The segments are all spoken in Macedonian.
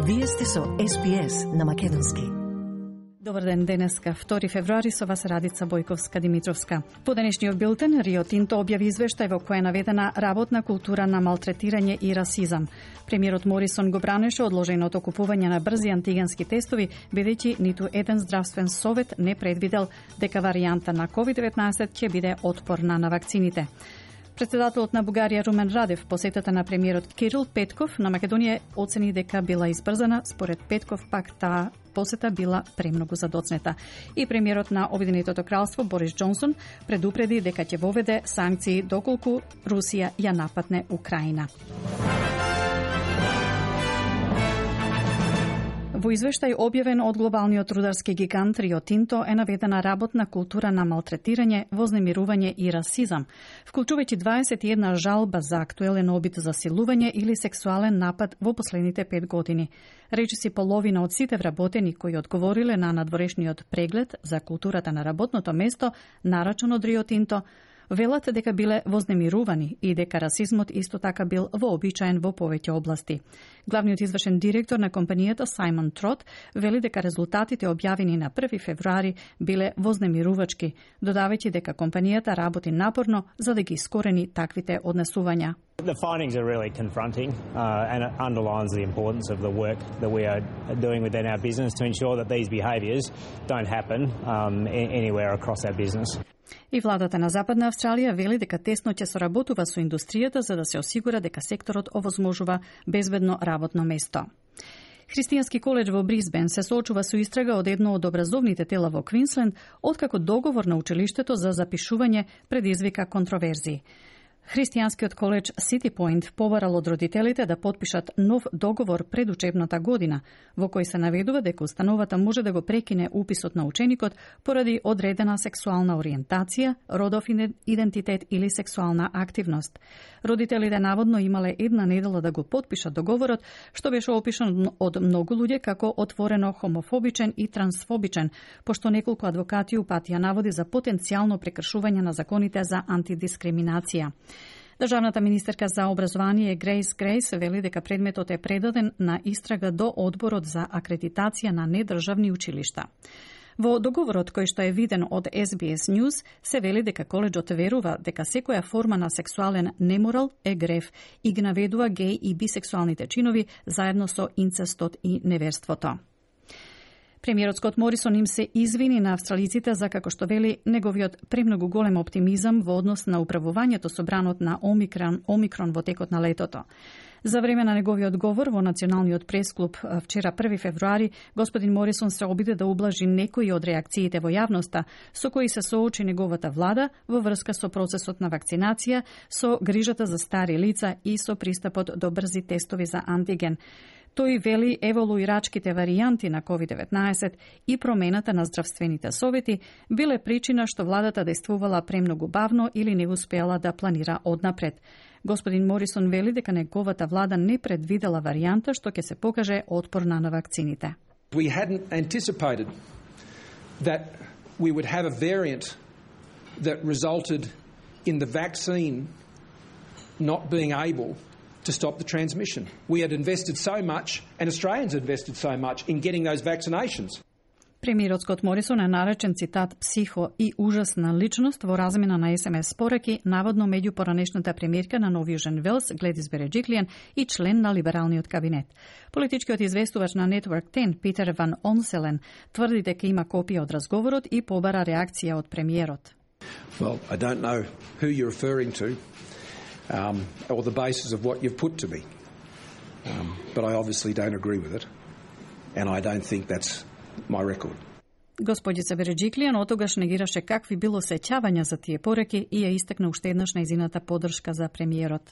Вие сте со SBS на македонски. Добар ден, денеска, 2 февруари, со вас Радица Бојковска-Димитровска. По денешниот билтен, Рио Тинто објави извештај во која е наведена работна култура на малтретирање и расизам. Премиерот Морисон го бранеше одложеното купување на брзи антигенски тестови, бидејќи ниту еден здравствен совет не предвидел дека варијанта на COVID-19 ќе биде отпорна на вакцините. Председателот на Бугарија Румен Радев посетата на премиерот Кирил Петков на Македонија оцени дека била избрзана, според Петков пак таа посета била премногу задоцнета. И премиерот на Обединетото кралство Борис Џонсон предупреди дека ќе воведе санкции доколку Русија ја нападне Украина. Во извештај објавен од глобалниот рударски гигант Рио Тинто е наведена работна култура на малтретирање, вознемирување и расизам, вклучувајќи 21 жалба за актуелен обид за силување или сексуален напад во последните 5 години. Речиси половина од сите вработени кои одговориле на надворешниот преглед за културата на работното место, нарачен од Рио Тинто, велат дека биле вознемирувани и дека расизмот исто така бил вообичаен во повеќе области. Главниот извршен директор на компанијата Сајмон Трот вели дека резултатите објавени на 1 февруари биле вознемирувачки, додавајќи дека компанијата работи напорно за да ги искорени таквите однесувања. The findings are really confronting and it underlines the importance of the work that we are doing within our business to ensure that these behaviours don't happen anywhere across our business. И владата на Западна Австралија вели дека тесно ќе соработува со индустријата за да се осигура дека секторот овозможува безбедно работно место. Христијански коледж во Брисбен се соочува со истрага од едно од образовните тела во Квинсленд, откако договор на училиштето за запишување предизвика контроверзии. Христијанскиот коледж City Point побарал од родителите да потпишат нов договор пред учебната година, во кој се наведува дека установата може да го прекине уписот на ученикот поради одредена сексуална ориентација, родов идентитет или сексуална активност. Родителите наводно имале една недела да го потпишат договорот, што беше опишан од многу луѓе како отворено хомофобичен и трансфобичен, пошто неколку адвокати упатија наводи за потенцијално прекршување на законите за антидискриминација. Државната министерка за образование Грейс Грейс вели дека предметот е предаден на истрага до Одборот за акредитација на недржавни училишта. Во договорот кој што е виден од SBS News се вели дека коледжот верува дека секоја форма на сексуален неморал е грев и ги наведува геј и бисексуалните чинови заедно со инцестот и неверството. Премиерот Скот Морисон им се извини на австралиците за, како што вели, неговиот премногу голем оптимизам во однос на управувањето со бранот на Омикрон во текот на летото. За време на неговиот говор во Националниот пресклуб вчера 1 февруари, господин Морисон се обиде да ублажи некои од реакциите во јавноста со кои се соочи неговата влада во врска со процесот на вакцинација, со грижата за стари лица и со пристапот до брзи тестови за антиген. Тој вели еволуирачките варијанти на COVID-19 и промената на здравствените совети биле причина што владата действувала премногу бавно или не успеала да планира однапред. Господин Морисон вели дека неговата влада не предвидела варијанта што ќе се покаже отпорна на вакцините. We hadn't anticipated that we would have a variant that resulted in the vaccine not being able to stop the transmission. We had invested so much, and Australians had invested so much in getting those vaccinations. Премиерот Скот Морисон е наречен цитат психо и ужасна личност во размена на СМС пораки, наводно меѓу поранешната премиерка на Нов Јужен Велс, Гледис Береджиклијан и член на либералниот кабинет. Политичкиот известувач на Network 10, Питер Ван Онселен, тврди дека има копија од разговорот и побара реакција од премиерот. Well, I don't know who you're referring to. Or the basis of what you've put to me. But I obviously don't agree with it, and I don't think that's my record. Господица Береджиклијан отогаш негираше какви било сеќавања за тие пореки и ја истакна уште еднаш нејзината поддршка за премиерот.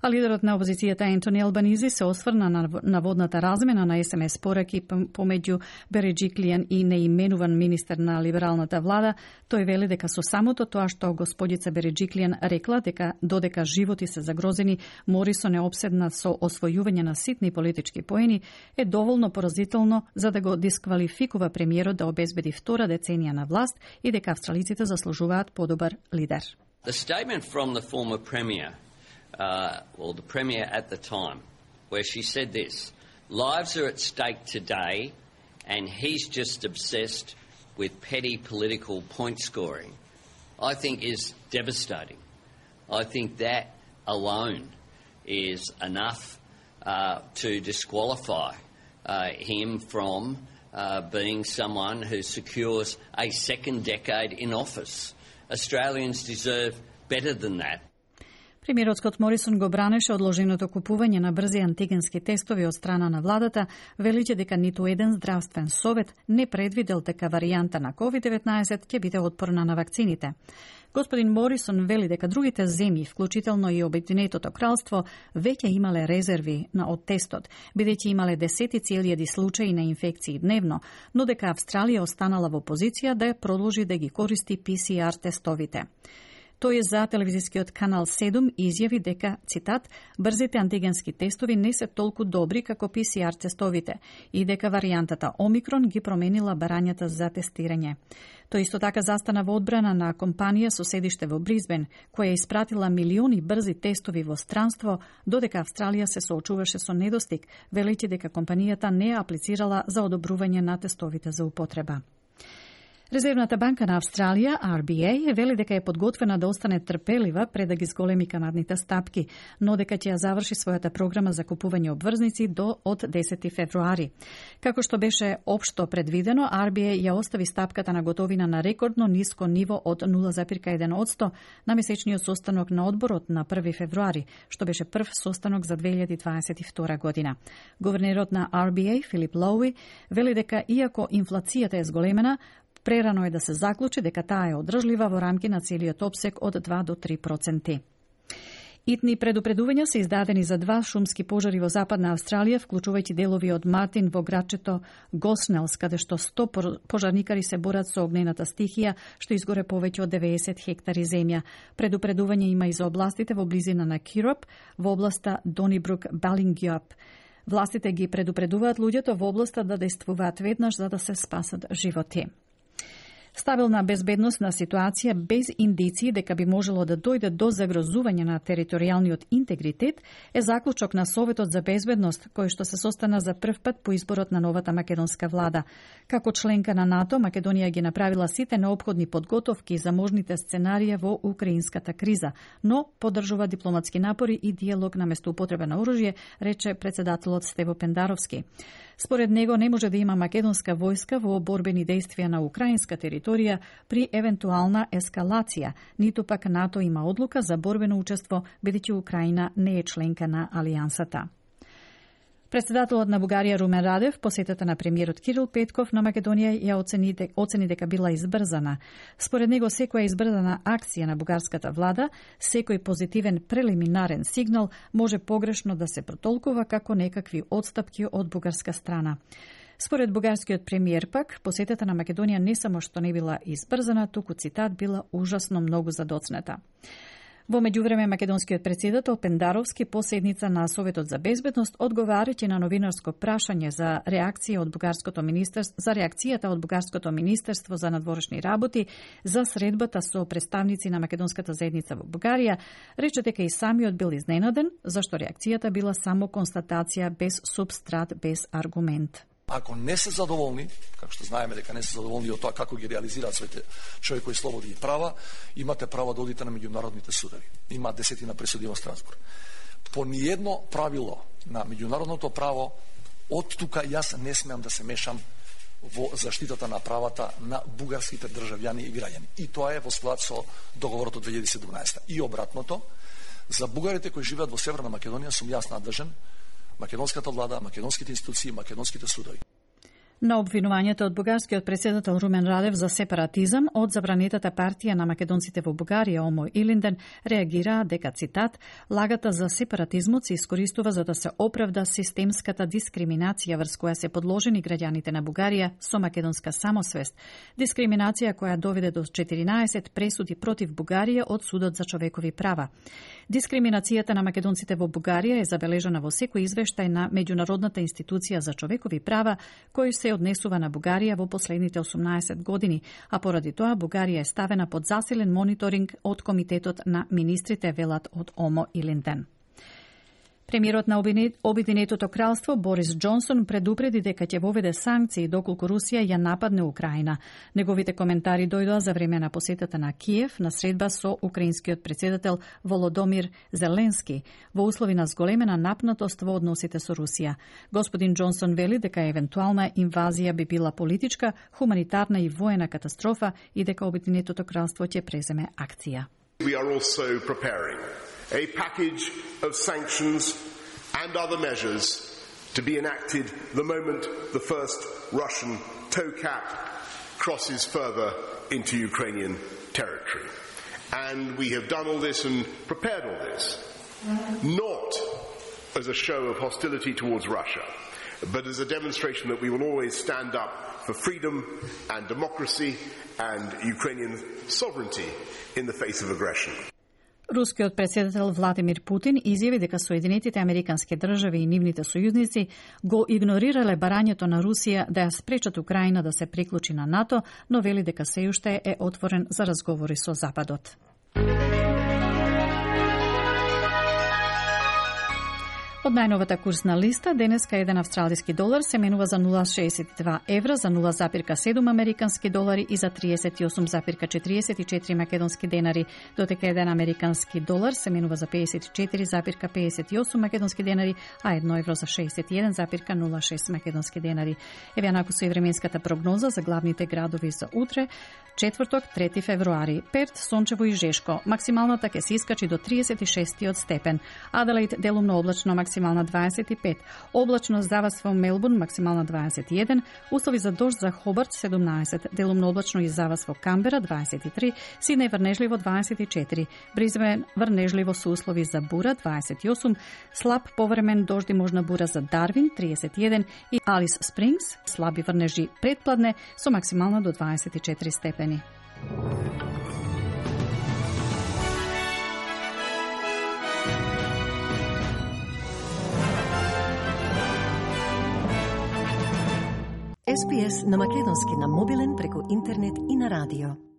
А лидерот на опозицијата Ентони Албанизи се осврна на наводната размена на СМС пораки помеѓу Береджиклијан и неименуван министер на либералната влада. Тој вели дека со самото тоа што господица Береджиклијан рекла дека додека животи се загрозени, Морисон е обседнат со освојување на ситни политички поени, е доволно поразително за да го дисквалификува премиерот да обезбеди втора деценија на власт и дека австралиците заслужуваат подобар лидер. The statement from the former premier, or the Premier at the time, where she said this, Lives are at stake today, and he's just obsessed with petty political point scoring, I think is devastating. I think that alone is enough to disqualify him from being someone who secures a second decade in office. Australians deserve better than that. Премиерот Скот Морисон го бранеше одложеното купување на брзи антигенски тестови од страна на владата, величе дека ниту еден здравствен совет не предвидел дека варијанта на COVID-19 ќе биде отпорна на вакцините. Господин Морисон вели дека другите земји, вклучително и Обединетото кралство, веќе имале резерви од тестот, бидејќи имале десетици илјади случаи на инфекции дневно, но дека Австралија останала во позиција да ја продолжи да ги користи PCR тестовите. Тој за телевизискиот канал 7 изјави дека, цитат, брзите антигенски тестови не се толку добри како PCR тестовите и дека варијантата Омикрон ги променила барањата за тестирање. Тој исто така застана во одбрана на компанија со седиште во Бризбен, која испратила милиони брзи тестови во странство, додека Австралија се соочуваше со недостиг, велејќи дека компанијата не аплицирала за одобрување на тестовите за употреба. Резервната банка на Австралија, RBA, вели дека е подготвена да остане трпелива пред да ги зголеми каматните стапки, но дека ќе ја заврши својата програма за купување обврзници од 10 февруари. Како што беше општо предвидено, RBA ја остави стапката на готовина на рекордно ниско ниво од 0,1% на месечниот состанок на одборот на 1 февруари, што беше прв состанок за 2022 година. Гувернерот на RBA, Филип Лоуи, вели дека иако инфлацијата е зголемена, прерано е да се заклучи дека таа е одржлива во рамки на целиот опсек од 2 до 3%. Итни предупредувања се издадени за 2 шумски пожари во Западна Австралија, вклучувајќи делови од Мартин во градчето Госнелс, каде што 100 пожарникари се борат со огнената стихија, што изгоре повеќе од 90 хектари земја. Предупредување има и за областите во близина на Кироп, во областа Донибрук-Балингјоп. Властите ги предупредуваат луѓето во областа да действуваат веднаш за да се спасат животи. Стабилна безбедносна ситуација без индиции дека би можело да дојде до загрозување на територијалниот интегритет е заклучок на Советот за безбедност, кој што се состана за прв пат по изборот на новата македонска влада. Како членка на НАТО, Македонија ги направила сите неопходни подготовки за можните сценарија во украинската криза, но поддржува дипломатски напори и диалог на место употреба на оружје, рече председателот Стево Пендаровски. Според него не може да има македонска војска во борбени действија на украинска територија при евентуална ескалација, ниту пак НАТО има одлука за борбено учество, бидејќи Украина не е членка на алијансата. Председателот на Бугарија Румен Радев посетата на премиерот Кирил Петков на Македонија ја оцени дека била избрзана. Според него секоја избрзана акција на бугарската влада, секој позитивен прелиминарен сигнал може погрешно да се протолкува како некакви одстапки од бугарска страна. Според бугарскиот премиер пак, посетата на Македонија не само што не била избрзана, туку, цитат, била ужасно многу задоцнета. Во меѓувреме, македонскиот председател Пендаровски по седница на Советот за безбедност, одговарајќи на новинарско прашање за реакцијата од бугарското министерство за надворешни работи за средбата со представници на македонската заедница во Бугарија, рече дека и самиот бил изненаден, зашто реакцијата била само констатација без субстрат, без аргумент. Ако не се задоволни, како што знаеме дека не се задоволни од тоа како ги реализираат своите човекови слободи и права, имате право да одите на меѓународните судови. Има десетина пресуди во Страсбург. По ниедно правило на меѓународното право, од тука јас не смеам да се мешам во заштитата на правата на бугарските државјани и граѓани. И тоа е во склад со договорот од 2017. И обратното, за бугарите кои живеат во Северна Македонија сум јас надлежен, македонската влада, македонските институции, македонските судови. На обвинувањето од бугарскиот председател Румен Радев за сепаратизам од забранетата партија на македонците во Бугарија, ОМО Илинден, реагираа дека, цитат, лагата за сепаратизмот се искористува за да се оправда системската дискриминација врз која се подложени граѓаните на Бугарија со македонска самосвест. Дискриминација која доведе до 14 пресуди против Бугарија од Судот за човекови права. Дискриминацијата на македонците во Бугарија е забележана во секој извештај на Меѓународната институција за човекови права, кој се однесува на Бугарија во последните 18 години, а поради тоа Бугарија е ставена под засилен мониторинг од Комитетот на министрите, велат од ОМО Илинден. Премиерот на Обединетото кралство Борис Џонсон предупреди дека ќе воведе санкции доколку Русија ја нападне Украина. Неговите коментари дојдоа за време на посетата на Киев на средба со украинскиот председател Володомир Зеленски во услови на зголемена напнатост во односите со Русија. Господин Џонсон вели дека евентуална инвазија би била политичка, хуманитарна и воена катастрофа и дека Обединетото кралство ќе преземе акција. We are also preparing a package of sanctions and other measures to be enacted the moment the first Russian tow cap crosses further into Ukrainian territory. And we have done all this and prepared all this, not as a show of hostility towards Russia, but as a demonstration that we will always stand up for freedom and democracy and Ukrainian sovereignty in the face of aggression. Рускиот председател Владимир Путин изјави дека Соединетите Американски држави и нивните сојузници го игнорирале барањето на Русија да ја спречат Украина да се приклучи на НАТО, но вели дека сѐ уште е отворен за разговори со Западот. Од најновата курсна листа, денеска еден австралиски долар се менува за 0,62 евра, за 0,7 американски долари и за 38,44 македонски денари, додека еден американски долар се менува за 54,58 македонски денари, а 1 евро за 61,06 македонски денари. Еве наку со временската прогноза за главните градови за утре, четврток, 3 февруари. Перт, сончево и жешко. Максималната ќе се искачи до 36 степен. Аделаид, делумно облачно, максимална 25. Облачно завас во Мелбурн, максимална 21. Услови за дожд за Хобарт 17. Делумно облачно и завас во Камбера 23. Сиднеј врнежливо 24. Бризбен врнежливо со услови за бура 28. Слаб повремен дожд и можна бура за Дарвин 31 и Алис Спрингс слаби врнежи предпладне со максимална до 24 степени. SPS на македонски на мобилен преку интернет и на радио.